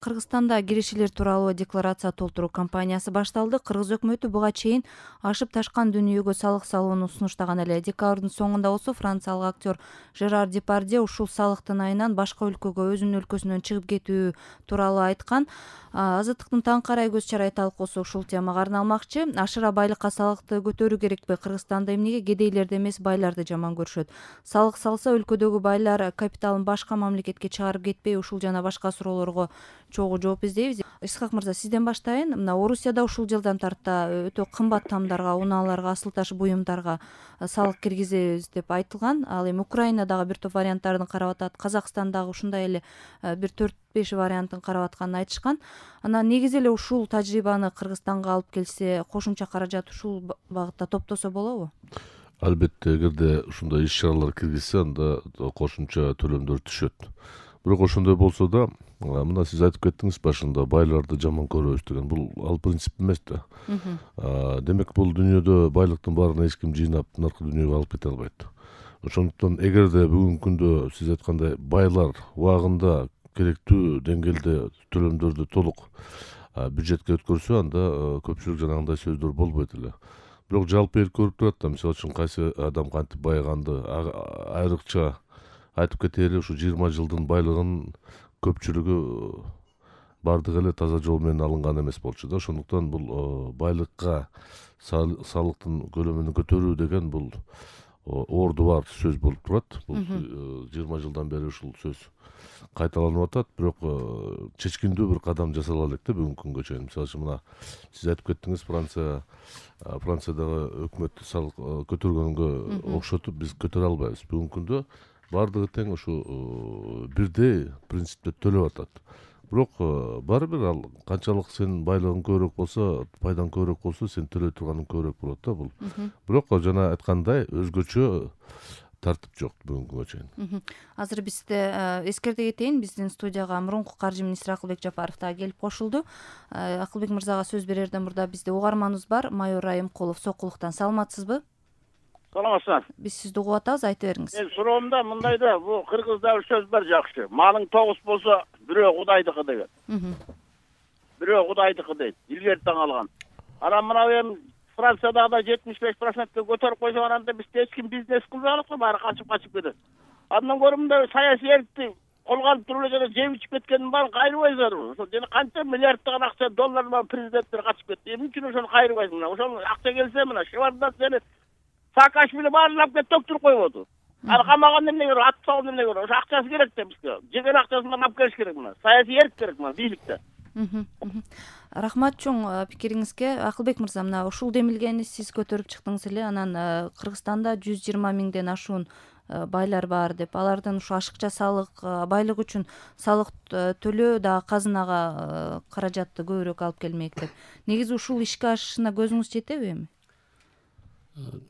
Кыргызстанда киришилер тууралуу декларация толтуруу кампаниясы башталды. Кыргыз өкмөтү буга чейин ашып ташкан дүнүйгө салык салууну сунуштаган эле. Декабрдын соңунда болсо франциялык актер Жерар Депардье ушул салыктын айынан башка өлкөгө өзүнүн өлкөсүнөн чыгып кетүү тууралуу айткан. Азаттыктын таң карай көз чарай талкуусу ушул темага арналмакчы. Ашыра байлыкка салыкты көтөрүү керекпи? Кыргызстанда эмнеге кедейлерди эмес байларды жаман көрүшөт? Салык салса өлкөдөгү байлар капиталын башка мамлекетке чыгарып кетпей? Ушул жана башка суроолорго чогуу жооп издейбиз. Исхак мырза, сизден баштайын. Мына Орусияда ушул жылдан тарта өтө кымбат тамдарга, унааларга, асыл таш буюмдарга салык киргизебиз деп айтылган. Ал эми Украинадагы бир топ варианттарын карап атат. Казакстандагы ушундай эле бир 4-5 вариантын карап атканын айтышкан. Анан негизи эле ушул тажрыйбаны Кыргызстанга алып келсе, кошумча каражат ушул багытта топтосо болобу? Албетте, эгерде ушундай иш-чаралар киргизсе, анда кошумча төлөмдөр түшөт. Бирок ошондой болсо да, мына сиз айтып кеттиңиз башында, байларды жаман көрөбүз деген. Бул ал принцип эмес да. Демек, бул дүйнөдө байлыктын баарын эч ким жыйнап наркы дүйнөгө алып кете албайт. Ошондуктан эгерде бүгүнкү күндө сиз айткандай байлар убагында керектүү деңгээлде төлөмдөрдү толук бюджетке өткөрсө, анда көпчүлүк жанагындай сөздөр болбойт эле. Бирок жалпы эл көрүп турат да, мисалы үчүн кайсы адам кантип байыганды, айрыкча айтып кетели, ушу 20 жылдын байлыгын көпчүлүгү бардыгы эле таза жол менен алынган эмес болчу да. Ошондуктан бул байлыкка салыктын көлөмүн көтөрүү деген бул орду бар сөз болуп турат. Бул 20 жылдан бери ушул сөз кайталанып атат, бирок чечкиндүү бир кадам жасала элек да бүгүнкү күнгө чейин. Мисалы үчүн мына сиз айтып кеттиңиз, Франциядагы өкмөт салык көтөргөнгө окшотуп биз көтөрө албайбыз. Бүгүнкү күндө бардыгы тең ушу бирдей принципте төлөп атат. Бирок баары бир ал канчалык сенин байлыгың көбүрөөк болсо, пайдаң көбүрөөк болсо, сен төлөй турганың көбүрөөк болот да бул. Бирок жана айткандай өзгөчө тартип жок бүгүнкү күнгө чейин. Азыр бизде эскерте кетейин, биздин студияга мурунку каржы министри Акылбек Жапаров да келип кошулду. Акылбек мырзага сөз берерден мурда бизде угарманыбыз бар, майор Райымкулов Сокулуктан. Саламатсызбы? Саламатсыздар. Биз сизди угуп атабыз, айтып бериңиз. Мен суроомда мындай да, бул кыргызда бир сөз бар жакшы. Малың 9 болсо, бирөө Кудайдыкы деген. Бирөө Кудайдыкы дейт. Илгери таң алган. Анан мына эми Франциядагы 75%ке көтөрүп койсо, анда бизде эч ким бизнес кылбай калат го, баары качып кетет. Андан көрө мындай саясий эркти колго алып туруп эле жана жеп ичип кеткендин баарын кайрыбайсыздарбы? Ошо жана канча миллиарддаган акча, долларлар президенттер качып кетти. Эмне үчүн ошону кайрыбайсың? Ошол акча келсе, мына Шевардат сени Саакашвили баарын кетип топтуруп койбоду. Ал камаганда эмне керек, атып салганда эмне керек? Ошо акчасы керек да бизге. Жеген акчасын алып келиш керек мына. Саясий эрк керек мына бийликте. Рахмат чоң пикириңизге. Акылбек мырза, мына ушул демилгени сиз көтөрүп чыктыңыз эле. Анан Кыргызстанда 120 миңден ашуун байлар бар деп, алардын ушу ашыкча салык, байлык үчүн салык төлөө да казынага каражатты көбүрөөк алып келмек деп. Негизи ушул ишке ашышына көзүңүз жетеби эми?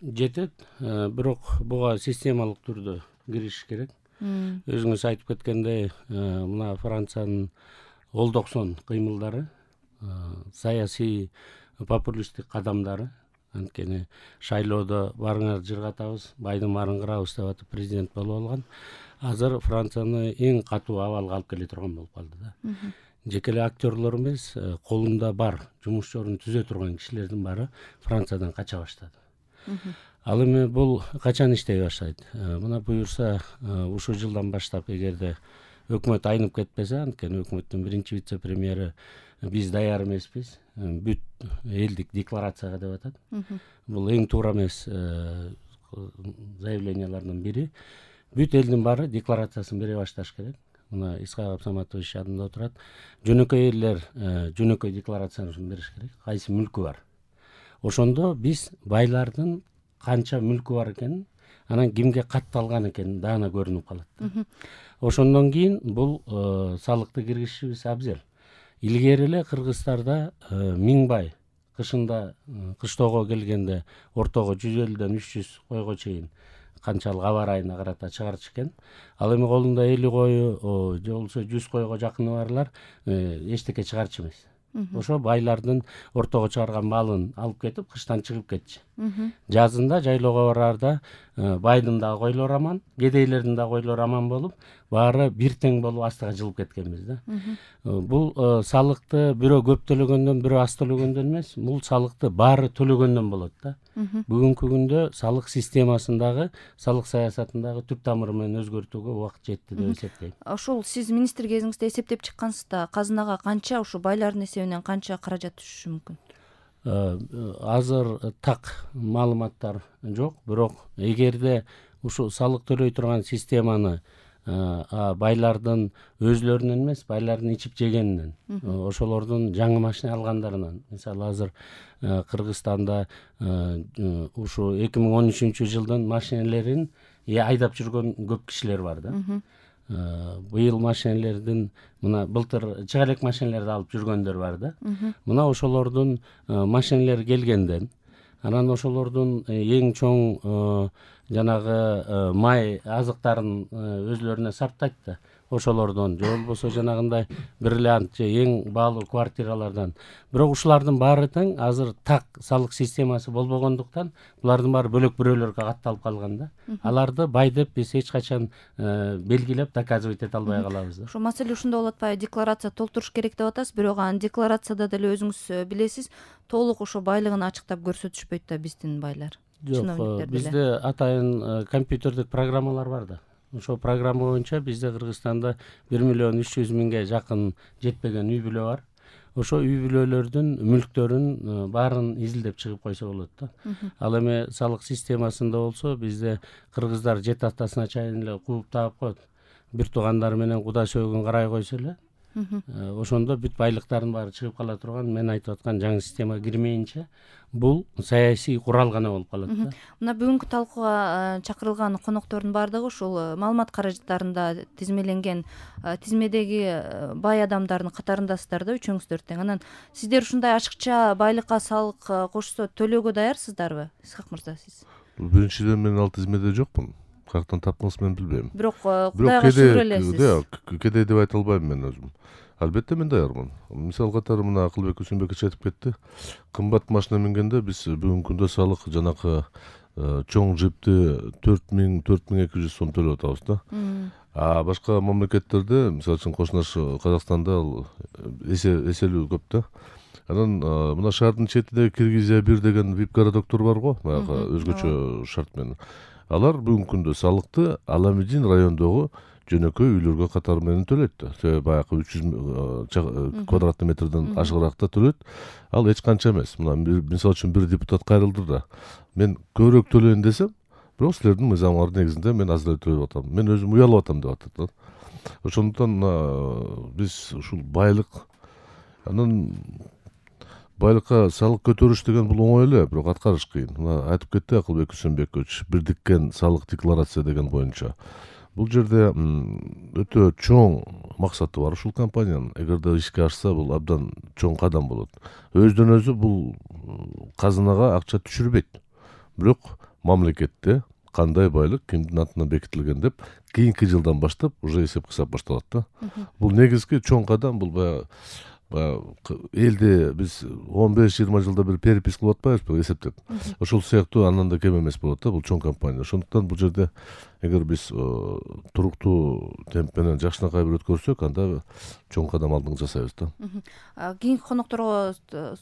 Жетет, бирок буга системалык түрдө кириш керек. Өзүңүз айтып кеткендей, мына Франциянын Ол-90 кыймылдары, саясий популисттик кадамдары, анткени шайлоодо барыңар жыргатабыз, байдын баарын кырабыз деп атып президент болуп алган. Азыр Францияны эң катуу абалга алып келе турган болуп калды да. Жеке эле актерлор эмес, колунда бар жумуш жорун түзө турган кишилердин баары Франциядан кача баштады. Ал эми бул качан иштей баштайт? Мына буюрса, ушул жылдан баштап, эгерде өкмөт айнып кетпесе, анткени өкмөттүн биринчи вице-премьери биз даяр эмеспиз, бүт элдик декларацияга деп атат. Бул эң туура эмес заявлениялардын бири. Бүт элдин баары декларациясын бере башташ керек. Мына Исхак Абсаматович янында отурат. Жөнөкөй элдер жөнөкөй декларациясын бериш керек. Кайсы мүлкү бар? Ошондо биз байлардын канча мүлкү бар экенин, анан кимге катталган экенин даана көрүнүп калат. Ошондон кийин бул салыкты киргизишибиз абзел. Илгери эле Кыргызстарда 1000 бай кышында кыштоого келгенде ортого 150ден 300 койго чейин канчалык аба ырайына карата чыгарчу экен. Ал эми колунда 50 кою же болбосо 100 койго жакыны барлар эчтеке чыгарчу эмес. Ошо байлардын ортого чыгарган малын алып кетип, кыштан чыгып кетчү. Жазында жайлоого бараарда байдын дагы койлору аман, кедейлердин дагы койлору аман болуп, баары бир тең болуп астыга жылып кеткенбиз да. Бул салыкты бирөө көп төлөгөндөн, бирөө аз төлөгөндөн эмес, бул салыкты баары төлөгөндөн болот да. Бүгүнкү күндө салык системасындагы, салык саясатындагы түп тамыры менен өзгөртүүгө убакыт жетти деп эсептейм. Ошол сиз министр кезиңизде эсептеп чыккансыз да, казынага канча, ушу байлардын эсебинен канча каражат түшүшү мүмкүн? Азыр так маалыматтар жок, бирок эгерде ушу салык төлөй турган системаны байлардын өзлөрүнөн эмес, байлардын ичип жегенинен, ошолордун жаңы машина алгандарынан, мисалы азыр Кыргызстанда ушу 2013-жылдын машинелерин айдап жүргөн көп кишилер бар да. Быйыл машинелердин, мына былтыр чыга элек машинелерди алып жүргөндөр бар да. Мына ошолордун машинелери келгенден, анан ошолордун эң чоң жанагы май азыктарын өзлөрүнө сарптайт да. Ошолордон же болбосо жанагындай бриллиант же эң баалуу квартиралардан. Бирок ушулардын баары тең азыр так салык системасы болбогондуктан булардын баары бөлөк бирөөлөргө катталып калган да. Аларды бай деп биз эч качан белгилеп доказывать эте албай калабыз да. Ошо маселе ушунда болуп атпайбы? Декларация толтуруш керек деп атасыз, бирок анын декларацияда деле өзүңүз билесиз, толук ошо байлыгын ачыктап көрсөтүшпөйт да биздин байлар. Жок, бизде атайын компьютердик программалар бар да. Ошол программа боюнча бизде Кыргызстанда 1.300.000 жакын жетпеген үй бүлө бар. Ошо үй бүлөлөрдүн мүлктөрүн баарын изилдеп чыгып койсо болот да. Ал эми салык системасында болсо бизде кыргыздар жет атасына чейин эле кууп таап коет. Бир туугандары менен куда сөөгүн карай койсо эле, ошондо бүт байлыктардын баары чыгып кала турган, мен айтып аткан жаңы системага кирмейинче бул саясий курал гана болуп калат да. Мына бүгүнкү талкууга чакырылган коноктордун баардыгы ушул маалымат каражаттарында тизмеленген тизмедеги бай адамдардын катарындасыздар да, үчөөңүздөр тең. Анан сиздер ушундай ачыкча байлыкка салык кошсо төлөөгө даярсыздарбы, Исхак мырза, сиз? Биринчиден мен ал тизмеде жокмун. Каяктан таптыңыз мен билбейм. Бирок Кудайга шүгүр элесиз. Кедей деп айта албайм мен өзүм. Албетте мен даярмын. Мисал катары мына Акылбек Үсүнбекович айтып кетти. Кымбат машина мингенде биз бүгүнкү күндө салык жанакы чоң джипти 4000-4200 сом төлөп атабыз да. А башка мамлекеттерде, мисалы үчүн кошунаш Казакстанда ал эселүү көп да. Анан мына шаардын четинде Киргизия 1 деген VIP городоктор бар го, баягы өзгөчө шарт менен. Алар бүгүнкү күндө салыкты Аламедин райондогу жөнөкөй үйлөргө катары менен төлөйт да. Себеби баягы 300 квадратный метрден ашыгыракта төлөйт. Ал эч канча эмес. Мына мисалы үчүн бир депутат кайрылды да. Мен көбүрөөк төлөйүн десем, бирок силердин мыйзамыңар негизинде мен аз эле төлөп атам. Мен өзүм уялып атам деп атат да. Ошондуктан биз ушул байлык, анан байлыкка салык көтөрүш деген бул оңой эле, бирок аткарыш кыйын. Мына айтып кетти Акылбек Үсүнбекович, бирдиккен салык декларация деген боюнча. Бул жерде өтө чоң максаты бар ушул компаниянын. Эгерде ишке ашса, бул абдан чоң кадам болот. Өздөн өзү бул казынага акча түшүрбөйт. Бирок мамлекетте кандай байлык кимдин атынан бекитилген деп кийинки жылдан баштап уже эсеп кысап башталат да. Бул негизги чоң кадам. Бул элде биз 15-20 жылда бир перепис кылып атпайбызбы эсептеп. Ошол сыяктуу андан да кем эмес болот да, бул чоң компания. Ошондуктан бул жерде эгер биз туруктуу темп менен жакшынакай бир өткөрсөк, анда чоң кадам алдыңга жасайбыз да. Кийинки конокторго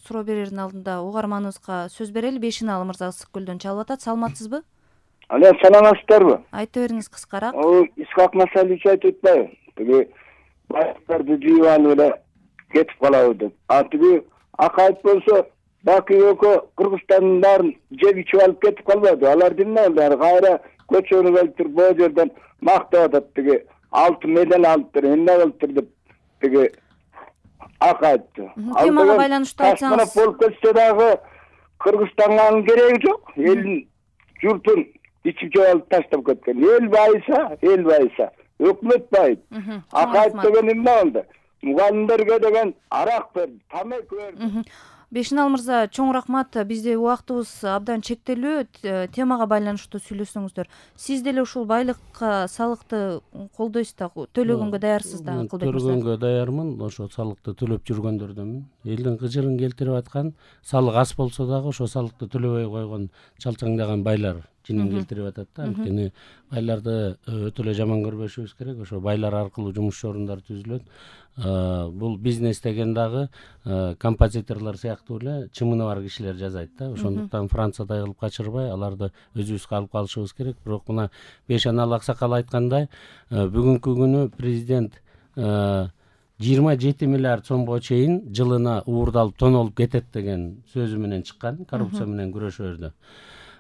суроо берердин алдында угарманыбызга сөз берели. Бешиналы мырза Ысык көлдөн чалып атат. Саламатсызбы? Але, саламатсыздарбы? Айта бериңиз кыскараак. Исхак Масалич айтып атпайбы? Тиги байлыктарды жыйып алып эле кетип калабы деп. Тиги Акаев болсо Баки экөө Кыргызстандын баарын жеп ичип алып кетип калбады. Алар эмне болду? Кайра көчөнү келтирип бул жерден мактап атат. Тиги 6 медаль алыптыр, эмне кылыптыр деп тиги Акаевди. Темага байланыштуу айтсаңыз. Болуп кетсе дагы Кыргызстанга анын кереги жок. Элдин журтун ичип жеп алып таштап кеткен. Эл байыса, өкмөт байыт. Акаев деген эмне болду? Мугалимдерге деген арак берди, тамак берди. Бешинал мырза, чоң рахмат. Бизде убактыбыз абдан чектелүү. Темага байланыштуу сүйлөсөңүздөр. Сиз деле ушул байлыкка салыкты колдойсуз да, төлөгөнгө даярсыз да, Акылбек мырза? Төлөгөнгө даярмын. Ошо салыкты төлөп жүргөндөрдөнмүн. Элдин кыжырын келтирип аткан, салык аз болсо дагы ошо салыкты төлөбөй койгон чалчаңдаган байлар жинин келтирип атат да. Анткени байларды өтө эле жаман көрбөшүбүз керек. Ошо байлар аркылуу жумуш орундар түзүлөт. Бул бизнес деген дагы композиторлор сыяктуу эле чымыны бар кишилер жасайт да. Ошондуктан Франциядай кылып качырбай, аларды өзүбүзгө алып калышыбыз керек. Бирок мына Бешенал аксакал айткандай, бүгүнкү күнү президент 27 миллиард сомго чейин жылына уурдалып тонолуп кетет деген сөзү менен чыккан, коррупция менен күрөшөөрдө.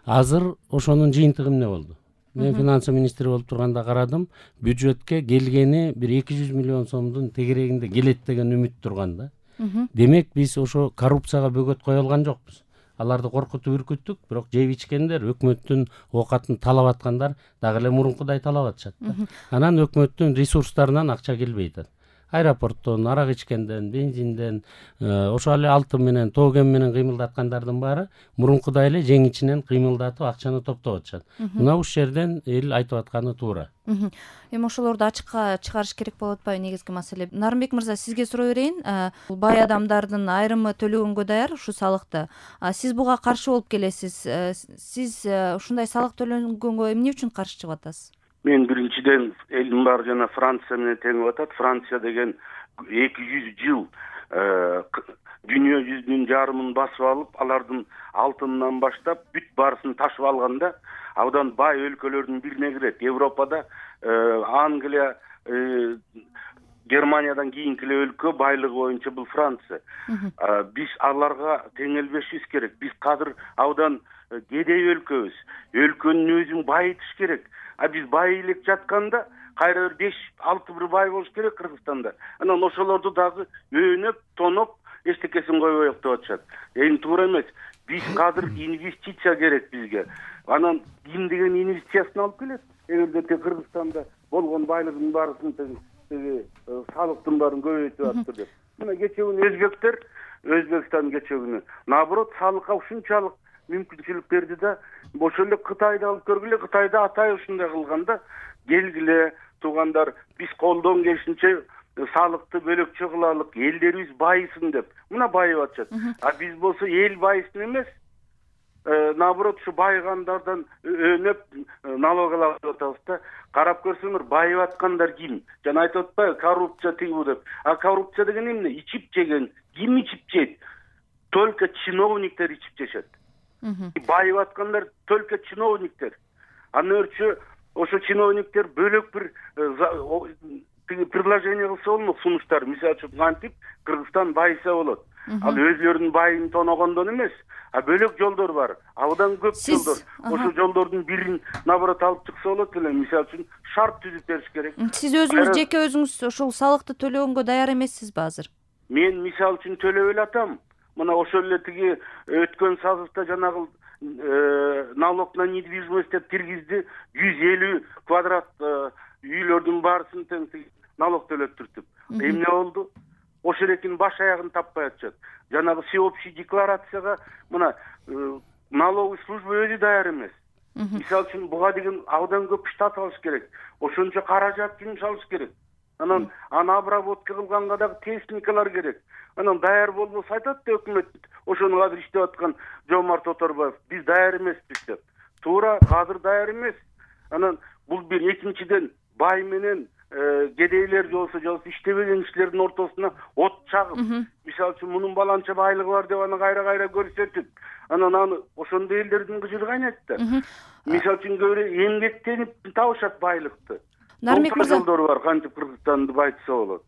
Азыр ошонун жыйынтыгы эмне болду? Мен финансы министри болуп турганда карадым, бюджетке келгени бир 200 миллион сомдун тегерегинде келет деген үмүт турган да. Демек биз ошо коррупцияга бөгөт кое алган жокпуз. Аларды коркутуп үркүттүк, бирок жеп ичкендер, өкмөттүн оокатын талап аткандар дагы эле мурункудай талап атышат да. Анан өкмөттүн ресурстарынан акча келбей атат. Аэропорттон, арак ичкенден, бензинден, ошо эле алтын менен, тоген менен кыймылдаткандардын баары мурункудай эле жең ичинен кыймылдатып акчаны топтоп атышат. Мына ушул жерден эл айтып атканы туура. Эми ошолорду ачыкка чыгарыш керек болуп атпайбы негизги маселе? Нарымбек мырза, сизге суроо берейин. Бай адамдардын айрымы төлөгөнгө даяр ушу салыкты. Сиз буга каршы болуп келесиз. Сиз ушундай салык төлөнгөнгө эмне үчүн каршы чыгып атасыз? Мен биринчиден элдин баары жана Франция менен теңип атат. Франция деген 200 жыл дүйнө жүзүнүн жарымын басып алып, алардын алтынынан баштап бүт баарысын ташып алганда, абдан бай өлкөлөрдүн бирине кирет. Европада Англия, Германиядан кийинки эле өлкө байлыгы боюнча бул Франция. Биз аларга теңелбешибиз керек. Биз кадыр абдан кедей өлкөбүз. Өлкөнүн өзүн байытыш керек. Биз бай элек жатканда кайра 5-6 бир бай болуш керек Кыргызстанда. Анан ошолорду дагы өөнөп, тоноп, эчтекесин койбой деп атышат. Эми туура эмес. Биз кадыр инвестиция керек бизге. Анан ким деген инвестициясын алып келет? Эгерде Кыргызстанда болгон байлыгын баарысын салыктын баарын көбөйтүп атты деп. Мына кечээ күнү өзбектер, Өзбекстан кечээ күнү наоборот салыкка ушунчалык мүмкүнчүлүк берди да, ошол эле Кытайды алып көргүлө. Кытайда атай ушундай кылганда, келгиле туугандар, биз колдон келишинче салыкты бөлөкчө кылалык, элдерибиз байысын деп. Мына байып атышат. Биз болсо эл байысын эмес, наоборот ушу байыгандардан өөнөп налог алабыз деп атабыз да. Карап көрсөңөр, байып аткандар ким? Жана айтып атпайбы, коррупция тигүү деп. Коррупция деген эмне? Ичип жеген. Ким ичип жейт? Только чиновниктер ичип жешет. Байып аткандар только чиновниктер. Андан өрчү ошо чиновниктер бөлөк бир предложение кылса болмок, сунуштар. Мисалы үчүн кантип Кыргызстан байыса болот. Ал өзлөрүнүн байын тоногондон эмес, бөлөк жолдор бар. Абдан көп жолдор. Ошо жолдордун бирин наоборот алып чыкса болот эле. Мисалы үчүн шарт түзүп бериш керек. Сиз өзүңүз жеке өзүңүз ушул салыкты төлөгөнгө даяр эмессизби азыр? Мен мисалы үчүн төлөп эле атам. Мына ошол эле тиги өткөн сазыкта жанагы налог на недвижимость деп киргизди. 150 квадрат үйлөрдүн баарысын тең налог төлөттүртүп. Эмне болду? Ошол экин баш аягын таппай атышат. Жанагы всеобщий декларацияга мына налоговый служба өзү даяр эмес. Мисалы үчүн буга деген абдан көп штат алыш керек. Ошончо каражат жумшалыш керек. Анан обработка кылганга дагы техникалар керек. Анан даяр болбосо айтат да өкмөт, ошону азыр иштеп аткан Жомарт Оторбаев, биз даяр эмеспиз деп. Туура, азыр даяр эмес. Анан бул бир экинчиден бай менен кедейлер жолсо иштебеген кишилердин ортосуна от чагып, мисалы үчүн мунун баланча байлыгы бар деп аны кайра көрсөтүп, анан аны ошондой элдердин кыжыры кайнайт да. Мисалы үчүн көбүрөөк эмгектенип табышат байлыкты. Нарымбек мырза, жолдор бар, кантип Кыргызстанды байтса болот.